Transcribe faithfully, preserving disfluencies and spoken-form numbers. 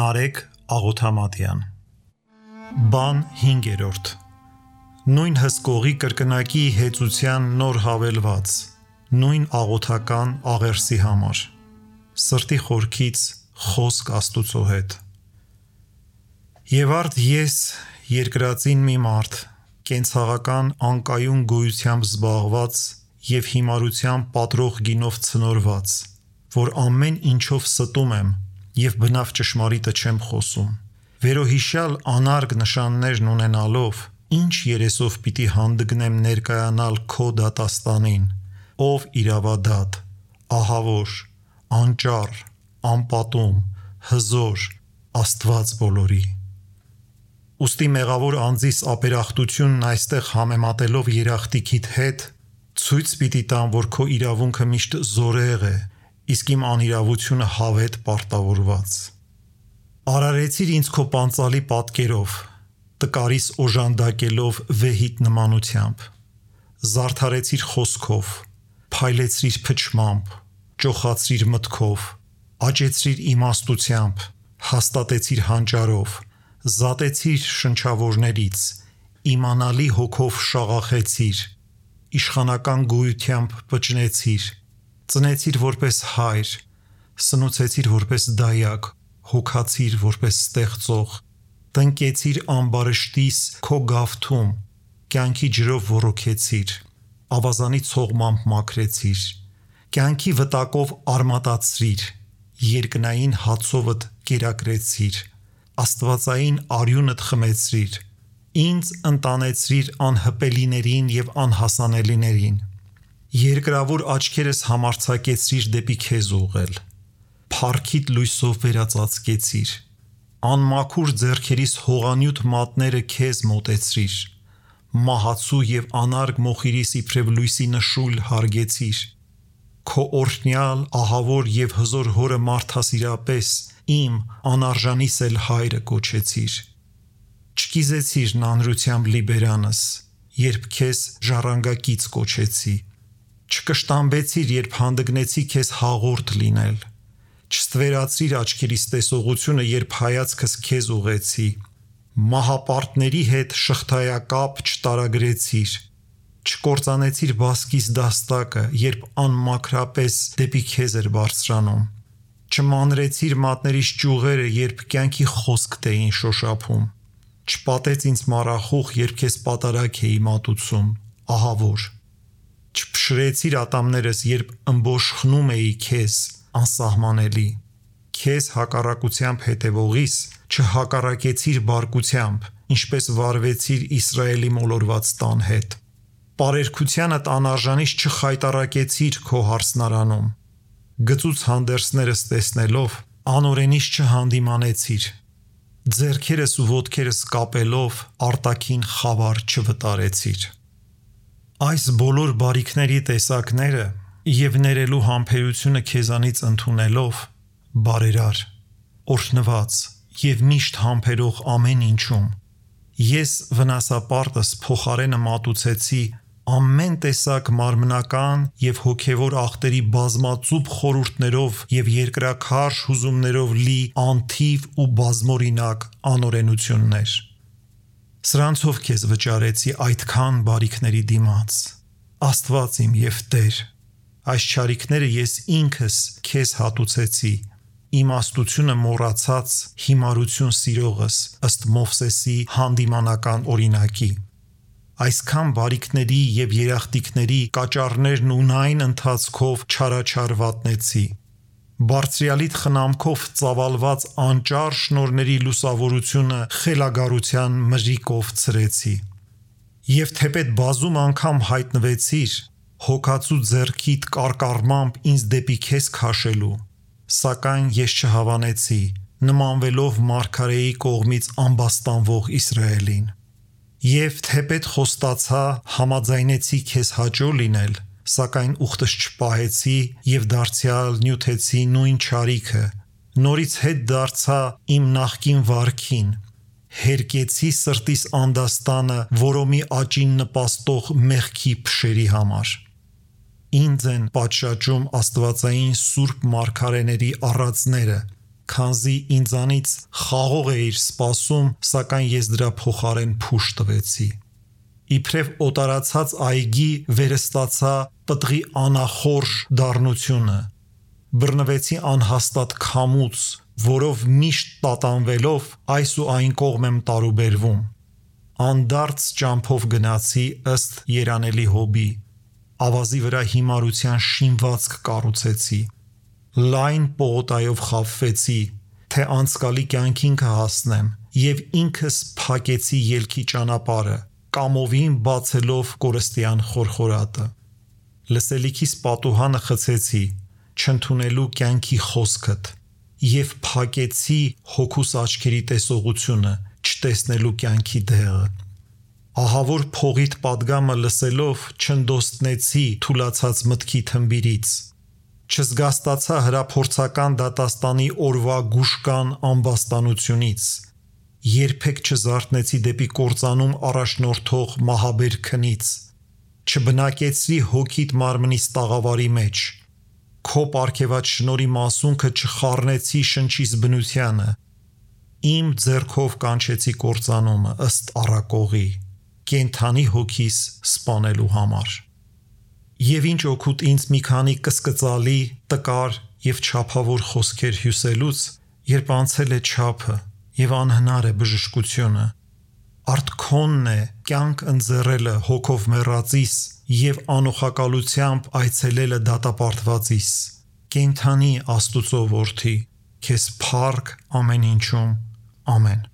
Նարեկ Աղոթամատյան Բան հինգերորդ Նույն հսկողի կրկնակի հեծության նոր հավելված Նույն աղոթական աղերսի համար Սրտի խորքից խոսք Աստուծո հետ Եվ արդ ես երկրածին մի մարդ կենցաղական անկայուն գոյությամբ զբաղված և հիմարությամբ պատրող գինով ցնորված որ ամեն ինչով ստում եմ և բնավ ճշմարիտը չեմ խոսում վերոհիշյալ անարգ նշաններն ունենալով ինչ երեսով պիտի հանդգնեմ ներկայանալ քո դատաստանին ով իրավադատ ահավոր անճառ անպատում հզոր Աստված բոլորի Ուստի մեղավոր անձիս ապերախտությունն այստեղ համեմատելով երախտիկիդ հետ ցույց պիտի տամ որ քո իրավունքը միշտ զորեղ է իսկ իմ անիրավությունը հավետ պարտավորված Արարեցիր ինձ քո պանծալի պատկերով տկարիս օժանդակելով վեհիտ նմանությամբ Զարդարեցիր խոսքով փայլեցրիր փչմամբ ճոխացրիր մտքով աճեցրիր իմաստությամբ հաստատեցիր հանճարով զատեցիր շնչավորներից իմանալի հոգով շաղախեցիր իշխանական գոյությամբ պճնեցիր ծնեցիր որպես հայր սնուցեցիր որպես դայակ հոգացիր որպես ստեղծող տնկեցիր ամբարշտիս քո գավթում կյանքի ջրով ոռոգեցիր ավազանի ցողմամբ մաքրեցիր կյանքի վտակով արմատացրիր երկնային հացովդ կերակրեցիր աստվածային արյունդ խմեցրիր ինձ ընտանեցրիր անհպելիներին և անհասանելիներին երկրավոր աչքերս համարձակեցրիր դեպի քեզ ուղղել փառքիդ լույսով վերածածկեցիր անմաքուր ձեռքերիս հողանյութ մատները քեզ մոտեցրիր մահացու և անարգ մոխիրիս իբրև լույսի նշույլ հարգեցիր քո օրհնյալ ահավոր և հզոր հորը մարդասիրապես իմ անարժանիս էլ հայրը կոչեցիր չկիզեցիր նանրությամբ լի բերանս երբ քեզ ժառանգակից կոչեցի չկշտամբեցիր երբ հանդգնեցի քեզ հաղորդ լինել չստվերացրիր աչքերիս տեսողությունը երբ հայացքս քեզ ուղղեցի մահապարտների հետ շղթայակապ չտարագրեցիր չկործանեցիր բասկիս դաստակը երբ անմաքրապես դեպի քեզ էր բարձրանում չմանրեցիր մատներիս ճյուղերը երբ կյանքի խոսք t'եին շոշափում չպատեց ինձ մառախուղ երբ քեզ պատարագ էի մատուցում ահավոր չփշրեցիր ատամներս երբ ըմբոշխնում էի քեզ անսահմանելի քեզ հակառակությամբ հետևողիս չհակառակեցիր բարկությամբ ինչպես վարվեցիր Իսրայելի մոլորված տան հետ պարերգությանդ անարժանից չխայտառակեցիր քո հարսնարանում գծուց հանդերձներս տեսնելով անօրենից չհանդիմանեցիր ձեռքերս ու ոտքերս կապելով արտաքին խավար չվտարեցիր Այս բոլոր բարիքների տեսակները և ներելու համբերությունը քեզանից ընդունելով բարերար օրհնված և միշտ համբերող ամեն ինչում ես վնասապարտս փոխարենը մատուցեցի ամեն տեսակ մարմնական և հոգևոր ախտերի բազմածուփ խորհուրդներով և երկրաքարշ հուզումներով լի անթիվ ու բազմօրինակ անօրենություններ Սրանցով քեզ վճարեցի այդքան բարիքների դիմաց Աստված իմ և Տեր այս չարիքները ես ինքս քեզ հատուցեցի իմաստությունը մոռացած հիմարություն սիրողս ըստ Մովսեսի հանդիմանական օրինակի Այսքան բարիքների և երախտիկների կաճառներն ունայն ընթացքով չարաչար վատնեցի Բարձրյալիդ խնամքով ծավալված անճառ շնորհների լուսավորությունը խելագարության մրրիկով ցրեցի Եվ թեպետ բազում անգամ հայտնվեցիր հոգացու ձեռքիդ կարկառմամբ ինձ դեպի քեզ քաշելու սակայն ես չհավանեցի նմանվելով մարգարեի կողմից ամբաստանվող Իսրայելին Եվ թեպետ խոստացա համաձայնեցի քեզ հաճո լինել Սակայն ուխտս չպահեցի և դարձյալ նյութեցի նույն չարիքը նորից հետ դարձա իմ նախկին վարքին հերկեցի սրտիս անդաստանը որոմի աճին նպաստող մեղքի փշերի համար Ինձ են պատշաճում աստվածային սուրբ մարգարեների առածները քանզի ինձանից խաղող էիր սպասում, սակայն ես դրա փոխարեն փուշ տվեցի։ Իբրև օտարացած այգի վերստացա պտղի անախորժ դառնությունը, բռնվեցի անհաստատ քամուց, որով միշտ տատանվելով այս ու այն կողմ եմ տարուբերվում։ Անդարձ ճամփով գնացի ըստ երանելի հոբի, ավազի վրա հիմարության շինվածք կառուցեցի, լայն պողոտայով խաբվեցի, թե անցկալի կյանքին կհասնեմ, եւ ինքս փակեցի ելքի ճանապարհը, կամովին բացելով կորստյան խորխորատը։ Լսելիքիս պատուհանը խցեցի, չընդունելու կյանքի խոսքդ, եւ փակեցի հոգուս աչքերի տեսողությունը, չտեսնելու կյանքի դեղը։ Ահավոր փողիդ պատգամը լսելով չնդոստնեցի թուլացած մտքի թմբիրից, չզգաստացա հրափորձական դատաստանի օրվա գուշկան ամբաստանությունից, երբեք չզարթնեցի դեպի կործանում առաջնորդող մահաբեր քնից, չբնակեցրի հոգիդ մարմնիս տաղավարի մեջ, քո պարգևած շնորհի մասունքը չխառնեցի շնչիս բնությանը, իմ ձեռքով կանչեցի կործանումը ըստ առակողի, կենթանի հոգիս սպանելու համար։ Եվ ինչ օգուտ ինձ մի քանի կսկծալի, տկար եւ չափավոր խոսքեր հյուսելուց, երբ անցել է չափը եւ անհնար է բժշկությունը։ Արդ քոնն է կյանք ընձեռելը հոգով մեռածիս եւ անօխակալությամբ այցելելը դատապարտվածիս։ Կենթանի Աստուծո որդի, քեզ փառք ամեն ինչում, ամեն։